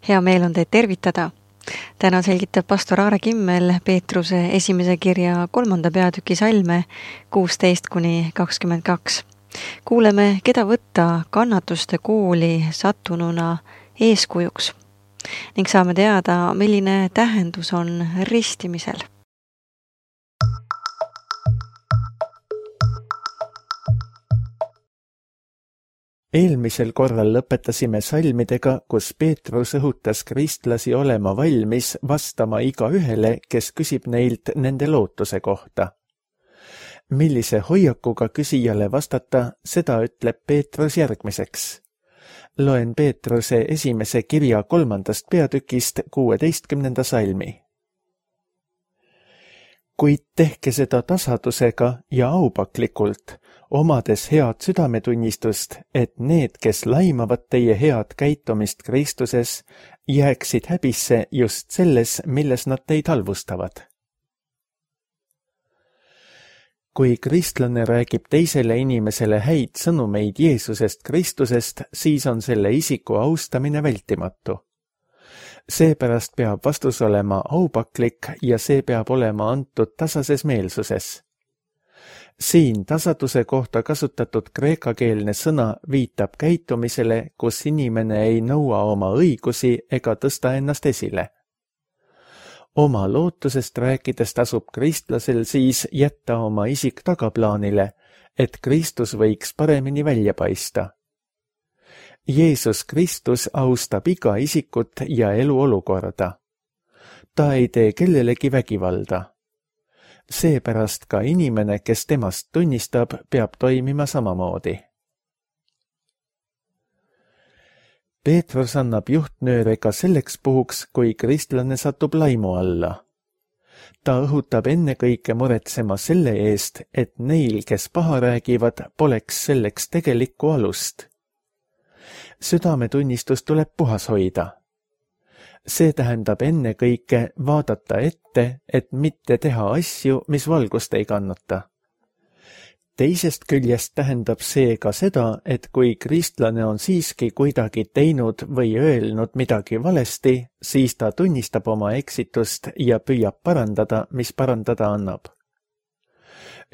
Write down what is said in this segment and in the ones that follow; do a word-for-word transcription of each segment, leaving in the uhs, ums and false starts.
Hea meel on teid tervitada. Täna selgitab pastor Aare Kimmel Peetruse esimese kirja kolmanda peatüki salme kuusteist kuni kakskümmend kaks. Kuuleme, keda võtta kannatuste kooli sattununa eeskujuks ning saame teada, milline tähendus on ristimisel. Eelmisel korral lõpetasime salmidega, kus Peetrus õhutas kristlasi olema valmis vastama iga ühele, kes küsib neilt nende lootuse kohta. Millise hoiakuga küsijale vastata, seda ütleb Peetrus järgmiseks. Loen Peetruse esimese kirja kolmandast peatükist kuueteistkümnenda salmi. Kuid tehke seda tasadusega ja aupaklikult, omades head südametunnistust, et need, kes laimavad teie head käitumist Kristuses, jääksid häbisse just selles, milles nad teid halvustavad. Kui kristlane räägib teisele inimesele häid sõnumeid Jeesusest Kristusest, siis on selle isiku austamine vältimatu. Seepärast peab vastus olema aupaklik ja see peab olema antud tasases meelsuses. Siin tasaduse kohta kasutatud kreekakeelne sõna viitab käitumisele, kus inimene ei nõua oma õigusi ega tõsta ennast esile. Oma lootusest rääkides tasub kristlasel siis jätta oma isik tagaplaanile, et Kristus võiks paremini välja paista. Jeesus Kristus austab iga isikut ja eluolukorda. Ta ei tee kellelegi vägivalda. Seepärast ka inimene, kes temast tunnistab, peab toimima samamoodi. Peetrus annab juhtnööre ka selleks puhuks, kui kristlane satub laimu alla. Ta õhutab ennekõike muretsema selle eest, et neil, kes paha räägivad, poleks selleks tegelikku alust. Südametunnistus tuleb puhas hoida. See tähendab ennekõike vaadata ette, et mitte teha asju, mis valgust ei kannata. Teisest küljest tähendab see ka seda, et kui kristlane on siiski kuidagi teinud või öelnud midagi valesti, siis ta tunnistab oma eksitust ja püüab parandada, mis parandada annab.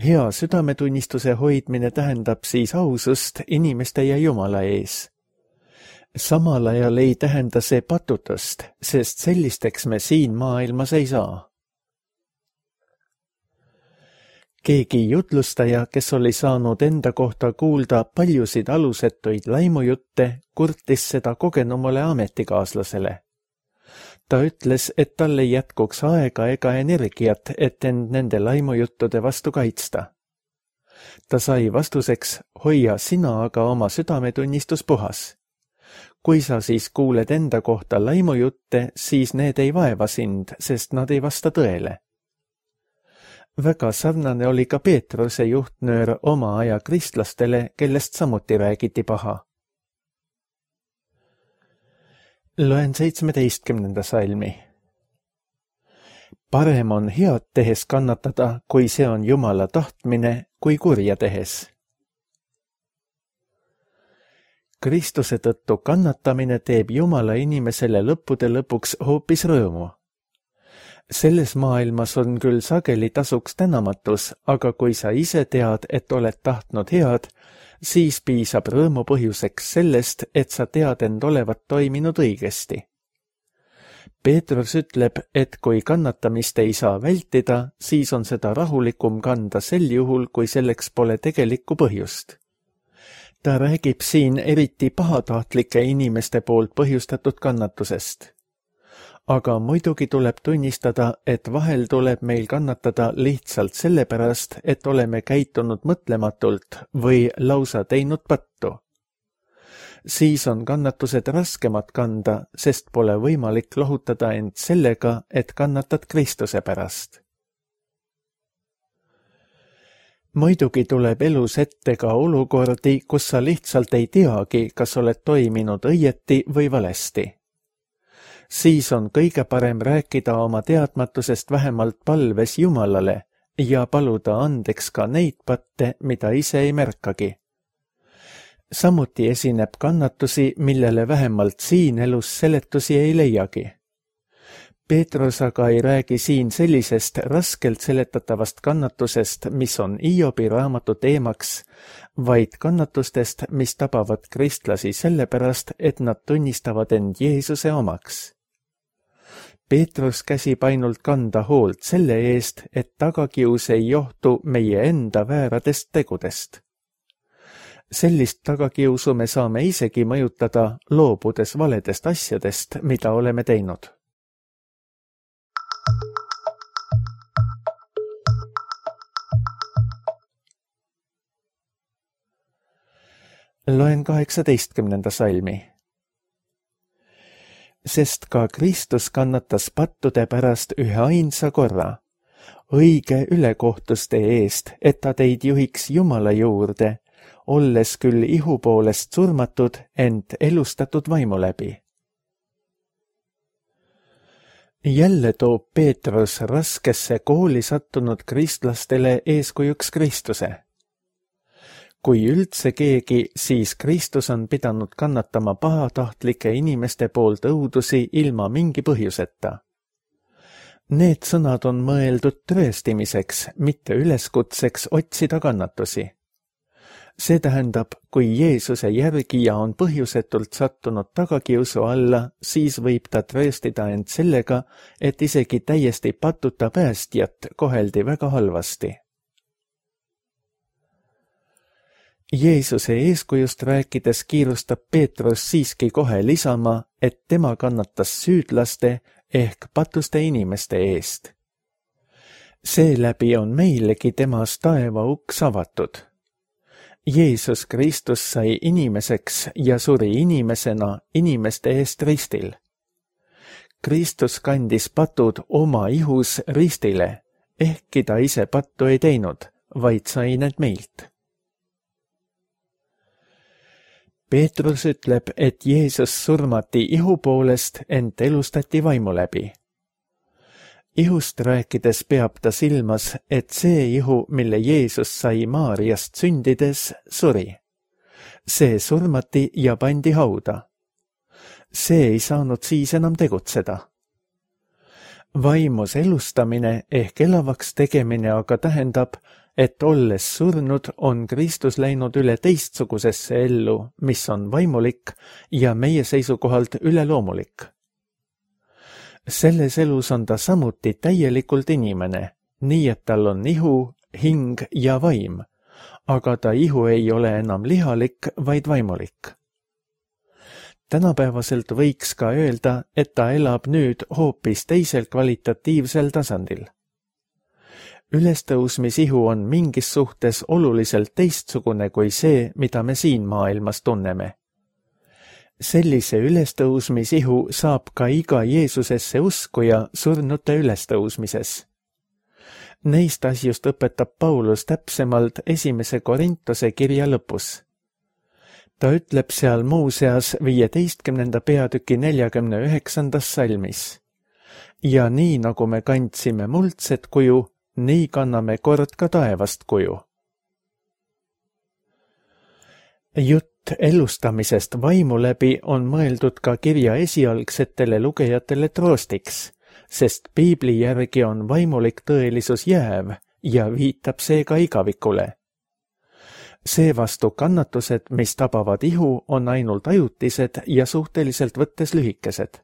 Hea südametunnistuse hoidmine tähendab siis ausust inimeste ja Jumala ees. Samal ajal ei tähenda see patutust, sest sellisteks me siin maailmas ei saa. Keegi jutlustaja, kes oli saanud enda kohta kuulda paljusid alusetuid laimujutte, kurtis seda kogenumale ametikaaslasele. Ta ütles, et tal ei jätkuks aega ega energiat, et end nende laimujuttude vastu kaitsta. Ta sai vastuseks, hoia sina aga oma südametunnistus puhas. Kui sa siis kuuled enda kohta laimujutte, siis need ei vaeva sind, sest nad ei vasta tõele. Väga sarnane oli ka Peetruse juhtnöör oma aja kristlastele, kellest samuti räägiti paha. Loen seitsmeteistkümnenda salmi. Parem on head tehes kannatada, kui see on Jumala tahtmine, kui kurja tehes. Kristuse tõttu kannatamine teeb Jumala inimesele lõppude lõpuks hoopis rõõmu. Selles maailmas on küll sageli tasuks tänamatus, aga kui sa ise tead, et oled tahtnud head, siis piisab rõõmu põhjuseks sellest, et sa tead end olevat toiminud õigesti. Peetrus ütleb, et kui kannatamist ei saa vältida, siis on seda rahulikum kanda sel juhul, kui selleks pole tegelikku põhjust. Ta räägib siin eriti pahatahtlike inimeste poolt põhjustatud kannatusest. Aga muidugi tuleb tunnistada, et vahel tuleb meil kannatada lihtsalt sellepärast, et oleme käitunud mõtlematult või lausa teinud pattu. Siis on kannatused raskemad kanda, sest pole võimalik lohutada end sellega, et kannatad Kristuse pärast. Muidugi tuleb elus ette ka olukordi, kus sa lihtsalt ei teagi, kas oled toiminud õieti või valesti. Siis on kõige parem rääkida oma teadmatusest vähemalt palves Jumalale ja paluda andeks ka neid patte, mida ise ei märkagi. samuti esineb kannatusi, millele vähemalt siin elus seletusi ei leiagi. Peetrus aga ei räägi siin sellisest raskelt seletatavast kannatusest, mis on Hiobi raamatu teemaks, vaid kannatustest, mis tabavad kristlasi sellepärast, et nad tunnistavad end Jeesuse omaks. Peetrus käsib ainult kanda hoolt selle eest, et tagakius ei johtu meie enda vääradest tegudest. Sellist tagakiusu me saame isegi mõjutada, loobudes valedest asjadest, mida oleme teinud. Loen kaheksateistkümnenda salmi. Sest ka Kristus kannatas pattude pärast ühe ainsa korra, õige ülekohtuste eest, et ta teid juhiks Jumala juurde, olles küll ihu poolest surmatud, ent elustatud vaimu läbi. Jälle toob Peetrus raskesse kooli sattunud kristlastele eeskujuks Kristuse. Kui üldse keegi, siis Kristus on pidanud kannatama pahatahtlike inimeste poolt õudusi ilma mingi põhjuseta. Need sõnad on mõeldud trööstimiseks, mitte üleskutseks otsida kannatusi. See tähendab, kui Jeesuse järgija on põhjusetult sattunud tagakiusu alla, siis võib ta trööstida end sellega, et isegi täiesti patuta päästjat koheldi väga halvasti. Jeesuse eeskujust rääkides kiirustab Peetrus siiski kohe lisama, et tema kannatas süüdlaste ehk patuste inimeste eest. Seeläbi on meilegi temas taeva uks avatud. Jeesus Kristus sai inimeseks ja suri inimesena inimeste eest ristil. Kristus kandis patud oma ihus ristile, ehkki ta ise pattu ei teinud, vaid sai need meilt. Peetrus ütleb, et Jeesus surmati ihu poolest, ent elustati vaimu läbi. Ihust rääkides peab ta silmas, et see ihu, mille Jeesus sai Maariast sündides, suri. See surmati ja pandi hauda. See ei saanud siis enam tegutseda. Vaimus elustamine ehk elavaks tegemine aga tähendab, et olles surnud, on Kristus läinud üle teistsugusesse ellu, mis on vaimulik ja meie seisukohalt üleloomulik. Selles elus on ta samuti täielikult inimene, nii et tal on ihu, hing ja vaim, aga ta ihu ei ole enam lihalik, vaid vaimulik. Tänapäevaselt võiks ka öelda, et ta elab nüüd hoopis teisel kvalitatiivsel tasandil. Ülestõusmisihu on mingis suhtes oluliselt teistsugune kui see, mida me siin maailmas tunneme. Sellise ülestõusmisihu saab ka iga Jeesusesse uskuja surnute ülestõusmises. Neist asjust õpetab Paulus täpsemalt esimese Korintuse kirja lõpus. Ta ütleb seal muuseas viieteistkümnenda peatüki neljakümne üheksandas salmis. Ja nii nagu me kandsime muldset kuju, nii kanname kord ka taevast kuju. Jutt elustamisest vaimu läbi on mõeldud ka kirja esialgsetele lugejatele troostiks, sest piibli järgi on vaimulik tõelisus jääv ja viitab seega igavikule. Seevastu kannatused, mis tabavad ihu, on ainult ajutised ja suhteliselt võttes lühikesed.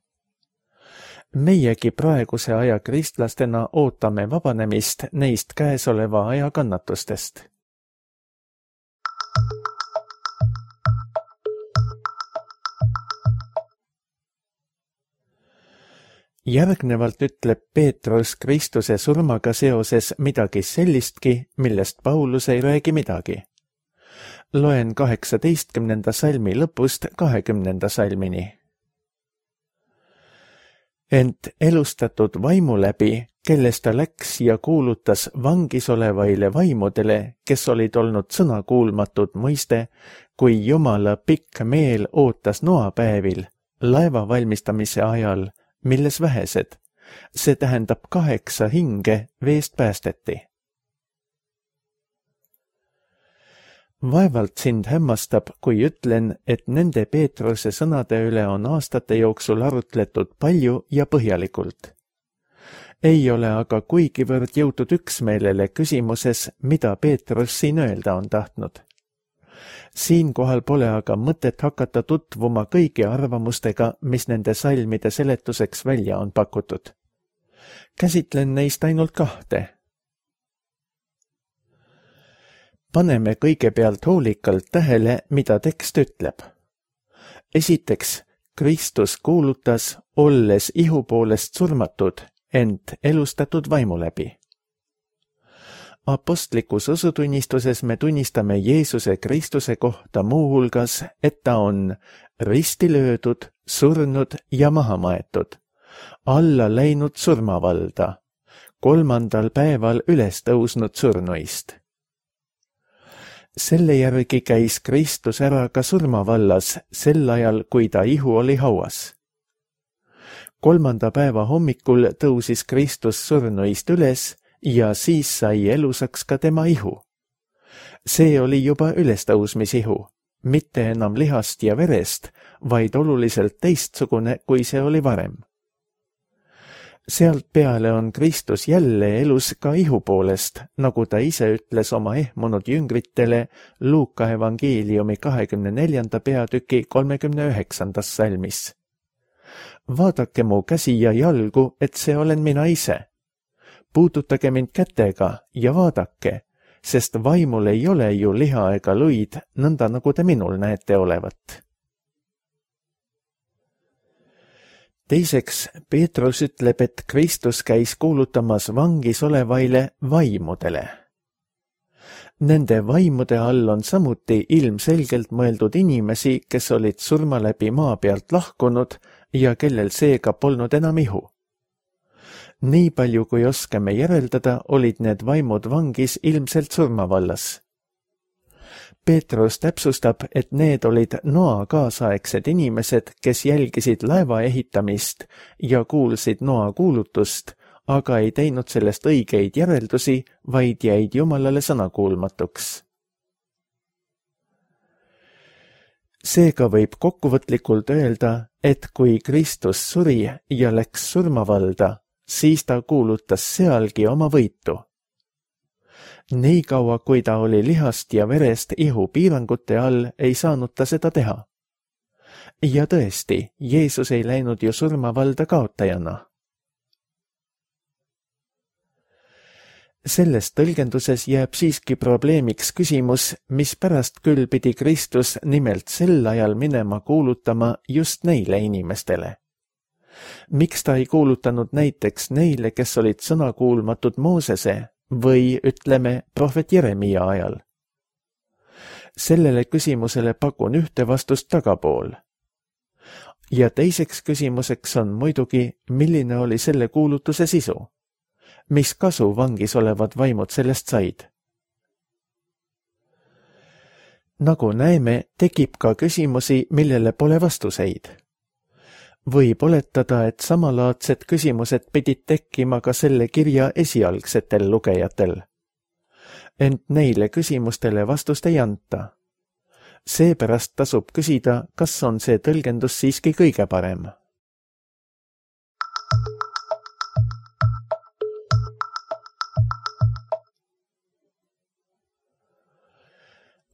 Meiegi praeguse aja kristlastena ootame vabanemist neist käesoleva aja kannatustest. Järgnevalt ütleb Peetrus Kristuse surmaga seoses midagi sellistki, millest Paulus ei räägi midagi. Loen kaheksateistkümnenda salmi lõpust kahekümnenda salmini. Ent elustatud vaimu läbi, kellest ta läks ja kuulutas vangis olevaile vaimudele, kes olid olnud sõnakuulmatud mõiste, kui Jumala pikk meel ootas noapäevil, laeva valmistamise ajal, milles vähesed, see tähendab kaheksa hinge veest päästeti. Vaevalt sind hämmastab, kui ütlen, et nende Peetruse sõnade üle on aastate jooksul arutletud palju ja põhjalikult. Ei ole aga kuigivõrd jõutud üksmeelele küsimuses, mida Peetrus siin öelda on tahtnud. Siinkohal pole aga mõtet hakata tutvuma kõigi arvamustega, mis nende salmide seletuseks välja on pakutud. Käsitlen neist ainult kahte. Paneme kõigepealt hoolikalt tähele, mida tekst ütleb. Esiteks, Kristus kuulutas, olles ihu poolest surmatud, ent elustatud vaimu läbi. Apostlikus usutunnistuses me tunnistame Jeesuse Kristuse kohta muuhulgas, et ta on risti löödud, surnud ja maha maetud, alla läinud surmavalda, kolmandal päeval üles tõusnud surnuist. Selle järgi käis Kristus ära ka surmavallas sel ajal, kui ta ihu oli hauas. Kolmanda päeva hommikul tõusis Kristus surnuist üles ja siis sai elusaks ka tema ihu. See oli juba ülestõusmisihu, mitte enam lihast ja verest, vaid oluliselt teistsugune, kui see oli varem. Sealt peale on Kristus jälle elus ka ihu poolest, nagu ta ise ütles oma ehmunud jüngritele Luuka evangeeliumi kahekümne neljanda peatüki kolmekümne üheksandas salmis. Vaadake mu käsi ja jalgu, et see olen mina ise. Puudutage mind kätega ja vaadake, sest vaimul ei ole ju liha ega luid, nõnda nagu te minul näete olevat. Teiseks, Peetrus ütleb, et Kristus käis kuulutamas vangis olevaile vaimudele. Nende vaimude all on samuti ilmselgelt mõeldud inimesi, kes olid surma läbi maa pealt lahkunud ja kellel seega polnud enam ihu. Nii palju, kui oskame järeldada, olid need vaimud vangis ilmselt surmavallas. Peetrus täpsustab, et need olid Noa kaasaegsed inimesed, kes jälgisid laeva ehitamist ja kuulsid Noa kuulutust, aga ei teinud sellest õigeid järeldusi, vaid jäid Jumalale sõnakuulmatuks. Seega võib kokkuvõtlikult öelda, et kui Kristus suri ja läks surmavalda, siis ta kuulutas sealgi oma võitu. Nii kaua, kui ta oli lihast ja verest ihu piirangute all, ei saanud ta seda teha. Ja tõesti, Jeesus ei läinud ju surmavalda kaotajana. Selles tõlgenduses jääb siiski probleemiks küsimus, mis pärast küll pidi Kristus nimelt sel ajal minema kuulutama just neile inimestele. Miks ta ei kuulutanud näiteks neile, kes olid sõnakuulmatud Moosese või, ütleme, prohvet Jeremia ajal? Sellele küsimusele pakun ühte vastust tagapool. Ja teiseks küsimuseks on muidugi, milline oli selle kuulutuse sisu? Mis kasu vangis olevad vaimud sellest said? Nagu näeme, tekib ka küsimusi, millele pole vastuseid. Võib oletada, et samalaadsed küsimused pidid tekkima ka selle kirja esialgsetel lugejatel. Ent neile küsimustele vastust ei anta. Seepärast tasub küsida, kas on see tõlgendus siiski kõige parem.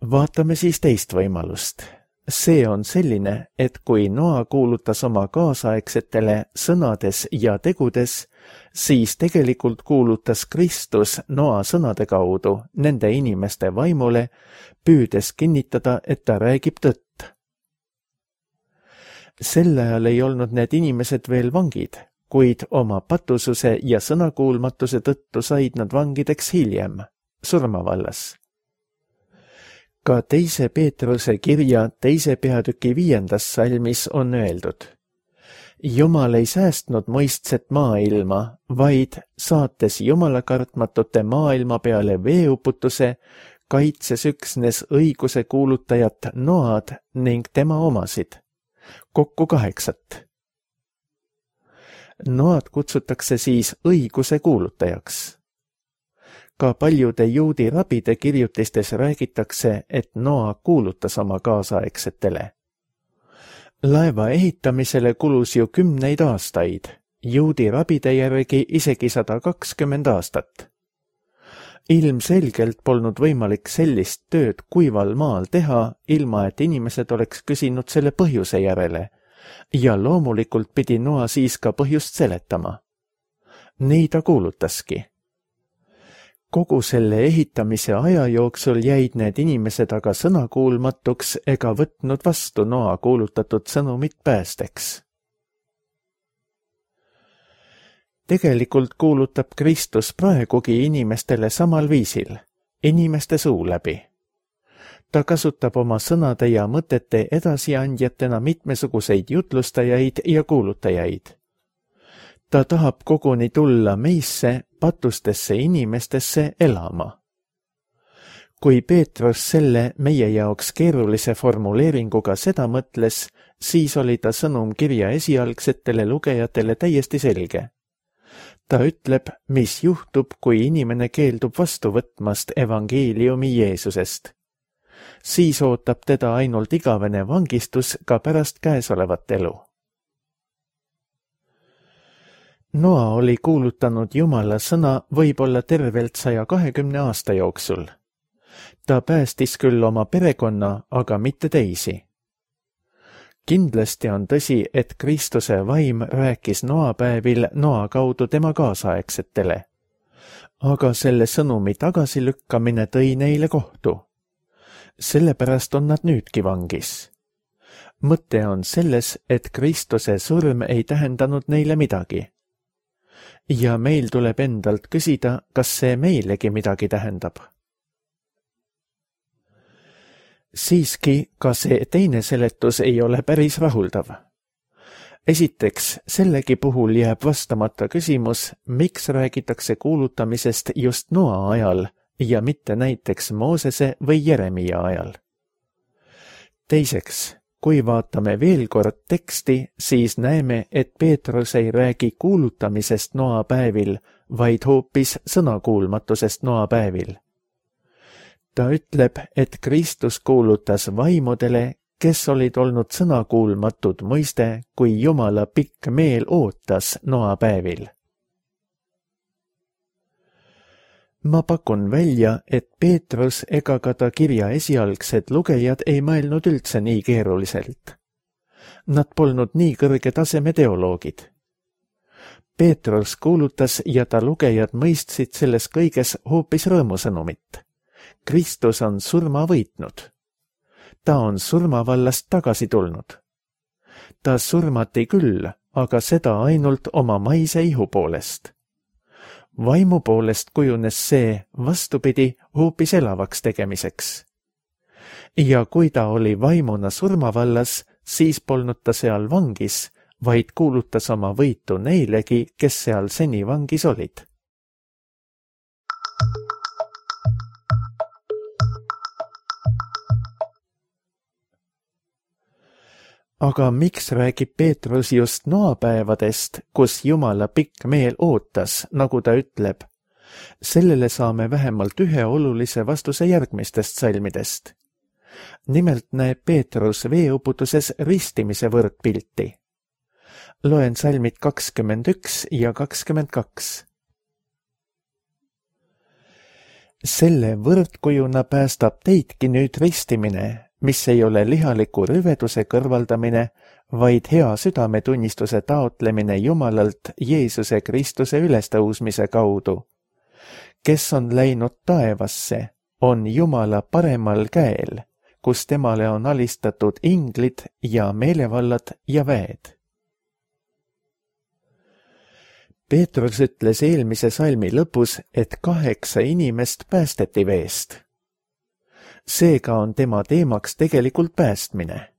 Vaatame siis teist võimalust. See on selline, et kui Noa kuulutas oma kaasaegsetele sõnades ja tegudes, siis tegelikult kuulutas Kristus Noa sõnade kaudu nende inimeste vaimule, püüdes kinnitada, et ta räägib tõtt. Sel ajal ei olnud need inimesed veel vangid, kuid oma patususe ja sõnakuulmatuse tõttu said nad vangideks hiljem, surmavallas. Ka teise Peetruse kirja teise peatüki viiendas salmis on öeldud: Jumal ei säästnud mõistset maailma, vaid saates jumalakartmatute maailma peale veeuputuse, kaitses üksnes õiguse kuulutajat Noad ning tema omasid, kokku kaheksat. Noad kutsutakse siis õiguse kuulutajaks. Ka paljude juudi rabide kirjutistes räägitakse, et Noa kuulutas oma kaasaegsetele. Laeva ehitamisele kulus ju kümneid aastaid, juudi rabide järgi isegi sada kakskümmend aastat. Ilmselgelt polnud võimalik sellist tööd kuival maal teha, ilma et inimesed oleks küsinud selle põhjuse järele, ja loomulikult pidi Noa siis ka põhjust seletama. Nii ta kuulutaski. Kogu selle ehitamise aja jooksul jäid need inimesed aga sõnakuulmatuks ega võtnud vastu Noa kuulutatud sõnumit päästeks. Tegelikult kuulutab Kristus praegugi inimestele samal viisil, inimeste suu läbi. Ta kasutab oma sõnade ja mõtete edasiandjatena mitmesuguseid jutlustajaid ja kuulutajaid. Ta tahab koguni tulla meisse, patustesse inimestesse elama. Kui Peetrus selle meie jaoks keerulise formuleeringuga seda mõtles, siis oli ta sõnum kirja esialgsetele lugejatele täiesti selge. Ta ütleb, mis juhtub, kui inimene keeldub vastu võtmast evangeeliumi Jeesusest. Siis ootab teda ainult igavene vangistus ka pärast käesolevat elu. Noa oli kuulutanud Jumala sõna võib-olla tervelt saja kahekümne aasta jooksul. Ta päästis küll oma perekonna, aga mitte teisi. Kindlasti on tõsi, et Kristuse vaim rääkis Noa päevil Noa kaudu tema kaasaegsetele. Aga selle sõnumi tagasilükkamine tõi neile kohtu. Sellepärast on nad nüüdki vangis. Mõte on selles, et Kristuse surm ei tähendanud neile midagi. Ja meil tuleb endalt küsida, kas see meilegi midagi tähendab. Siiski, ka see teine seletus ei ole päris rahuldav. Esiteks, sellegi puhul jääb vastamata küsimus, miks räägitakse kuulutamisest just Noa ajal ja mitte näiteks Moosese või Jeremia ajal. Teiseks, kui vaatame veel kord teksti, siis näeme, et Peetrus ei räägi kuulutamisest Noa päevil, vaid hoopis sõnakuulmatusest Noa päevil. Ta ütleb, et Kristus kuulutas vaimudele, kes olid olnud sõnakuulmatud mõiste, kui Jumala pikk meel ootas Noa päevil. Ma pakun välja, et Peetrus ega ka ta kirja esialgsed lugejad ei mõelnud üldse nii keeruliselt. Nad polnud nii kõrge taseme teoloogid. Peetrus kuulutas ja ta lugejad mõistsid selles kõiges hoopis rõõmusõnumit. Kristus on surma võitnud. Ta on surmavallast tagasi tulnud. Ta surmati küll, aga seda ainult oma maise ihu poolest. Vaimu poolest kujunes see vastupidi hoopis elavaks tegemiseks. Ja kui ta oli vaimuna surmavallas, siis polnud ta seal vangis, vaid kuulutas oma võitu neilegi, kes seal seni vangis olid. Aga miks räägib Peetrus just noapäevadest, kus Jumala pikk meel ootas, nagu ta ütleb? Sellele saame vähemalt ühe olulise vastuse järgmistest salmidest. Nimelt näeb Peetrus veeuputuses ristimise võrdpilti. Loen salmid kakskümmend üks ja kakskümmend kaks. Selle võrdkujuna päästab teidki nüüd ristimine, mis ei ole lihaliku rüveduse kõrvaldamine, vaid hea südametunnistuse taotlemine Jumalalt Jeesuse Kristuse ülestõusmise kaudu. Kes on läinud taevasse, on Jumala paremal käel, kus temale on alistatud inglid ja meelevallad ja väed. Peetrus ütles eelmise salmi lõpus, et kaheksa inimest päästeti veest. Seega on tema teemaks tegelikult päästmine.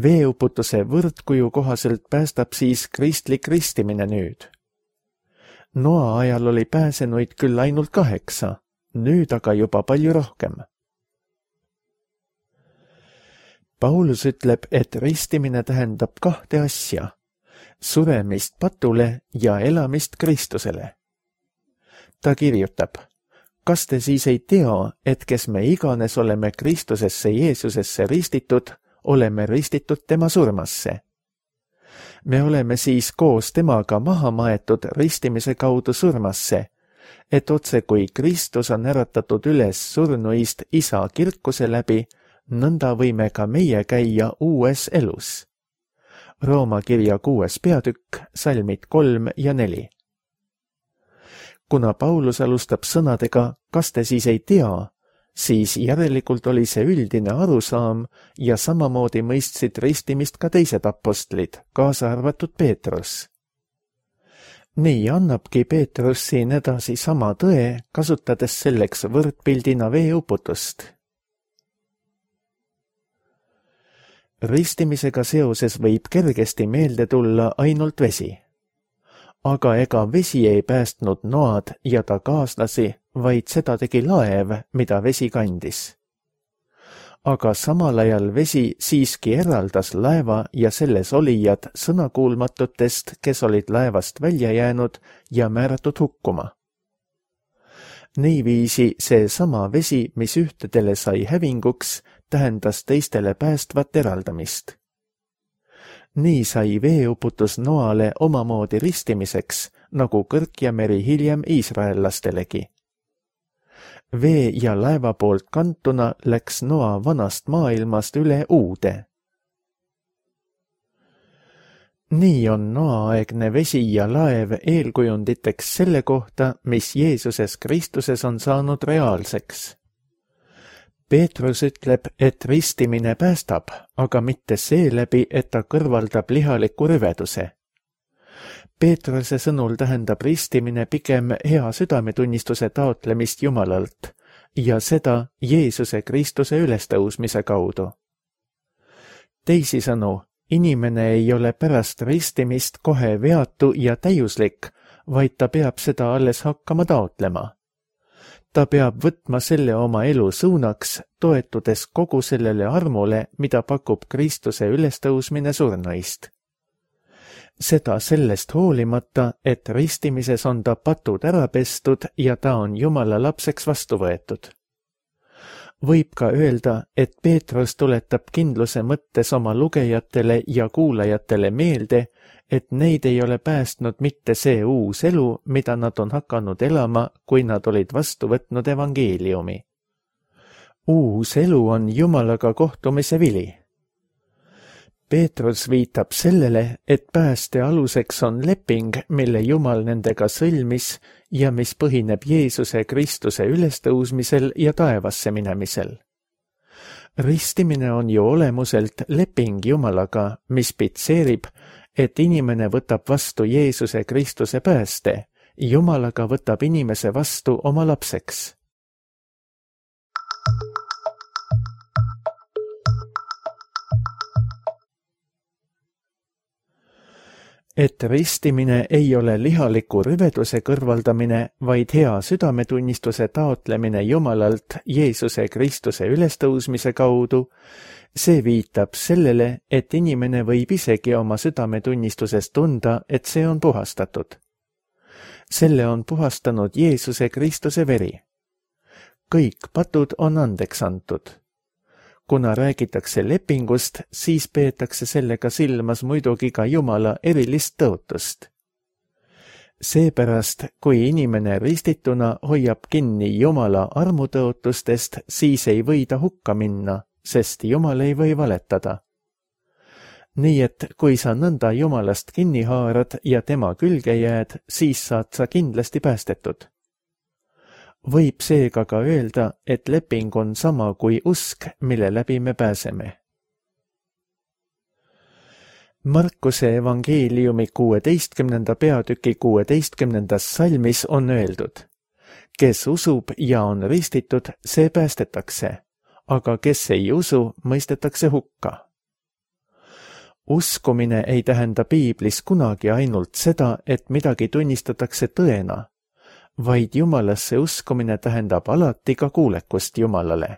Veeuputuse võrdkuju kohaselt päästab siis kristlik ristimine nüüd. Noa ajal oli pääsenuid küll ainult kaheksa, nüüd aga juba palju rohkem. Paulus ütleb, et ristimine tähendab kahte asja, suremist patule ja elamist Kristusele. Ta kirjutab: kas te siis ei tea, et kes me iganes oleme Kristusesse Jeesusesse ristitud, oleme ristitud tema surmasse? Me oleme siis koos temaga maha maetud ristimise kaudu surmasse, et otse kui Kristus on äratatud üles surnuist Isa kirkuse läbi, nõnda võime ka meie käia uues elus. Rooma kirja kuues peatükk, salmid kolm ja neli. Kuna Paulus alustab sõnadega, kas te siis ei tea, siis järelikult oli see üldine arusaam ja samamoodi mõistsid ristimist ka teised apostlid, kaasa arvatud Peetrus. Nii annabki Peetrus siin edasi sama tõe, kasutades selleks võrdpildina veeuputust. Ristimisega seoses võib kergesti meelde tulla ainult vesi. Aga ega vesi ei päästnud Noad ja ta kaaslasi, vaid seda tegi laev, mida vesi kandis. Aga samal ajal vesi siiski eraldas laeva ja selles olijad sõnakuulmatutest, kes olid laevast välja jäänud ja määratud hukkuma. Niiviisi see sama vesi, mis ühtedele sai hävinguks, tähendas teistele päästvat eraldamist. Nii sai veeuputus Noale omamoodi ristimiseks, nagu kõrk ja meri hiljem iisraellastelegi. Vee ja laeva poolt kantuna läks Noa vanast maailmast üle uude. Nii on Noa-aegne vesi ja laev eelkujunditeks selle kohta, mis Jeesuses Kristuses on saanud reaalseks. Peetrus ütleb, et ristimine päästab, aga mitte seeläbi, et ta kõrvaldab lihaliku rüveduse. Peetruse sõnul tähendab ristimine pigem hea südametunnistuse taotlemist Jumalalt ja seda Jeesuse Kristuse ülestõusmise kaudu. Teisisõnu, inimene ei ole pärast ristimist kohe veatu ja täiuslik, vaid ta peab seda alles hakkama taotlema. Ta peab võtma selle oma elu suunaks, toetudes kogu sellele armule, mida pakub Kristuse ülestõusmine surnuist. Seda sellest hoolimata, et ristimises on ta patud ära pestud ja ta on Jumala lapseks vastu võetud. Võib ka öelda, et Peetrus tuletab kindluse mõttes oma lugejatele ja kuulajatele meelde, et neid ei ole päästnud mitte see uus elu, mida nad on hakanud elama, kui nad olid vastu võtnud evangeeliumi. Uus elu on Jumalaga kohtumise vili. Peetrus viitab sellele, et pääste aluseks on leping, mille Jumal nendega sõlmis ja mis põhineb Jeesuse Kristuse ülestõusmisel ja taevasse minemisel. Ristimine on ju olemuselt leping Jumalaga, mis pitseerib, et inimene võtab vastu Jeesuse Kristuse pääste, Jumalaga võtab inimese vastu oma lapseks. Et ristimine ei ole lihaliku rüveduse kõrvaldamine, vaid hea südametunnistuse taotlemine Jumalalt Jeesuse Kristuse ülestõusmise kaudu, see viitab sellele, et inimene võib isegi oma südametunnistuses tunda, et see on puhastatud. Selle on puhastanud Jeesuse Kristuse veri. Kõik patud on andeks antud. Kuna räägitakse lepingust, siis peetakse sellega silmas muidugi ka Jumala erilist tõotust. Seepärast, kui inimene ristituna hoiab kinni Jumala armutõotustest, siis ei või ta hukka minna, sest Jumal ei või valetada. Nii et kui sa nõnda Jumalast kinni haarad ja tema külge jääd, siis saad sa kindlasti päästetud. Võib seega ka öelda, et leping on sama kui usk, mille läbi me pääseme. Markuse evangeeliumi kuueteistkümnenda peatüki kuueteistkümnendas salmis on öeldud: kes usub ja on ristitud, see päästetakse, aga kes ei usu, mõistetakse hukka. Uskumine ei tähenda Piiblis kunagi ainult seda, et midagi tunnistatakse tõena, vaid Jumalasse uskumine tähendab alati ka kuulekust Jumalale.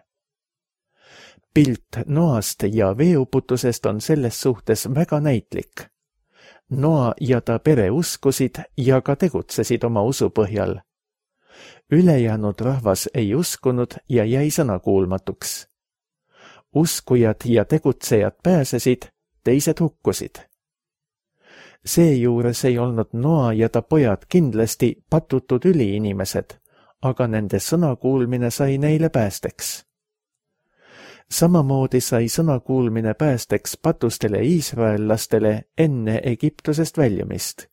Pilt Noast ja veeuputusest on selles suhtes väga näitlik. Noa ja ta pere uskusid ja ka tegutsesid oma usu põhjal. Ülejäänud rahvas ei uskunud ja jäi sõnakuulmatuks. Uskujad ja tegutsejad pääsesid, teised hukkusid. Seejuures ei olnud Noa ja ta pojad kindlasti patutud üliinimesed, aga nende sõnakuulmine sai neile päästeks. Samamoodi sai sõnakuulmine päästeks patustele iisraellastele enne Egiptusest väljumist.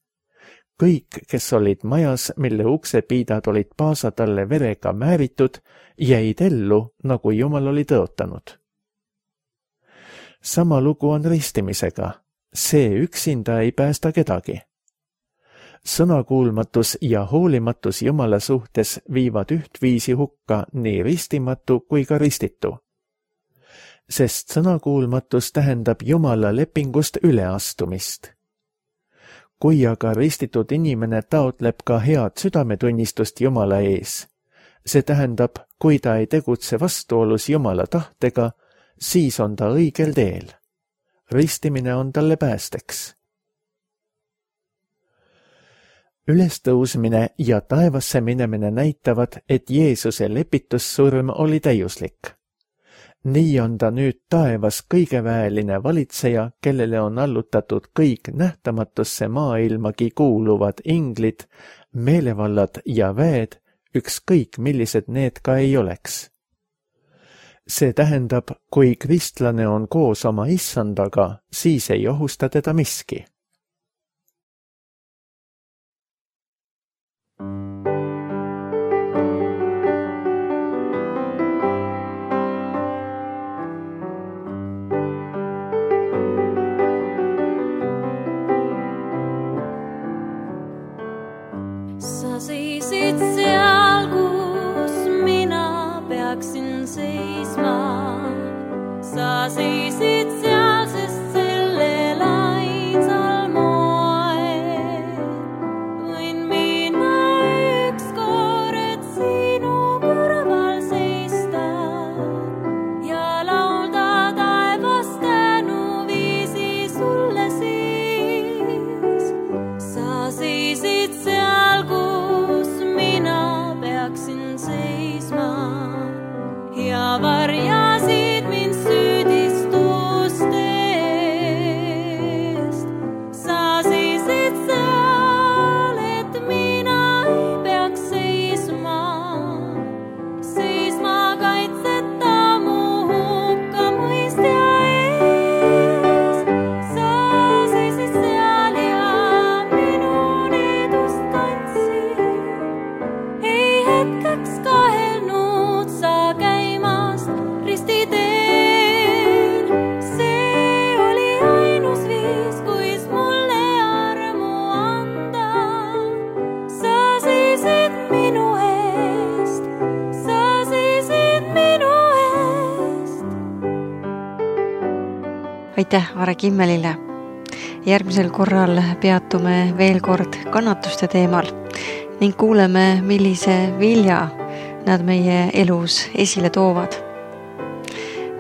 Kõik, kes olid majas, mille uksepiidad olid paasatalle verega määritud, jäid ellu, nagu Jumal oli tõotanud. Sama lugu on ristimisega. See üksinda ei päästa kedagi. Sõnakuulmatus ja hoolimatus Jumala suhtes viivad ühtviisi hukka nii ristimatu kui ka ristitu. Sest sõnakuulmatus tähendab Jumala lepingust üleastumist. Kui aga ristitud inimene taotleb ka head südametunnistust Jumala ees, see tähendab, kui ta ei tegutse vastuolus Jumala tahtega, siis on ta õigel teel. Ristimine on talle päästeks. Ülestõusmine ja taevasse minemine näitavad, et Jeesuse lepitussurm oli täiuslik. Nii on ta nüüd taevas kõigeväeline valitseja, kellele on allutatud kõik nähtamatusse maailmagi kuuluvad inglid, meelevallad ja väed, ükskõik millised need ka ei oleks. See tähendab, kui kristlane on koos oma issandaga, siis ei ohusta teda miski. Sa seisid seal, kus mina peaksin seisma. Sa seisid seal, sest sellel ainsal moel võin mina ükskord sinu kõrval seista ja laulda taevas tänuviisi sulle siis. Sa seisid seal, kus mina peaksin seisma ja varjasid mind süüdistust eest. Sa seisid seal, et mina ei peaks seisma, seisma kaitseta mu hukkamõistja ees. Sa seisid seal ja minu needust kandsid, ei hetkeks kahelnud sa käimast ristiteel. See oli ainus viis, kuis mulle armu anda. Sa seisid minu eest, sa seisid minu eest. Aitäh Are Kimmelile. Järgmisel korral peatume veel kord kannatuste teemal ning kuuleme, millise vilja nad meie elus esile toovad.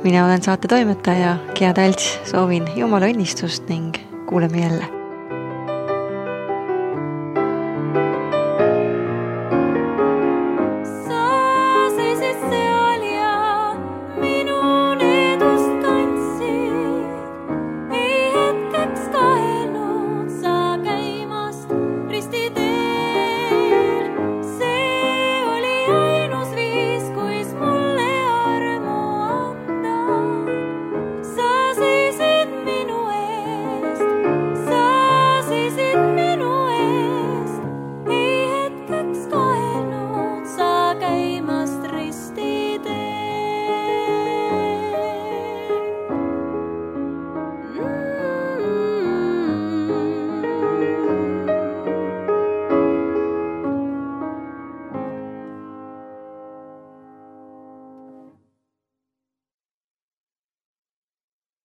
Mina olen saate toimetaja Gea Talts, soovin Jumala õnnistust ning kuuleme jälle.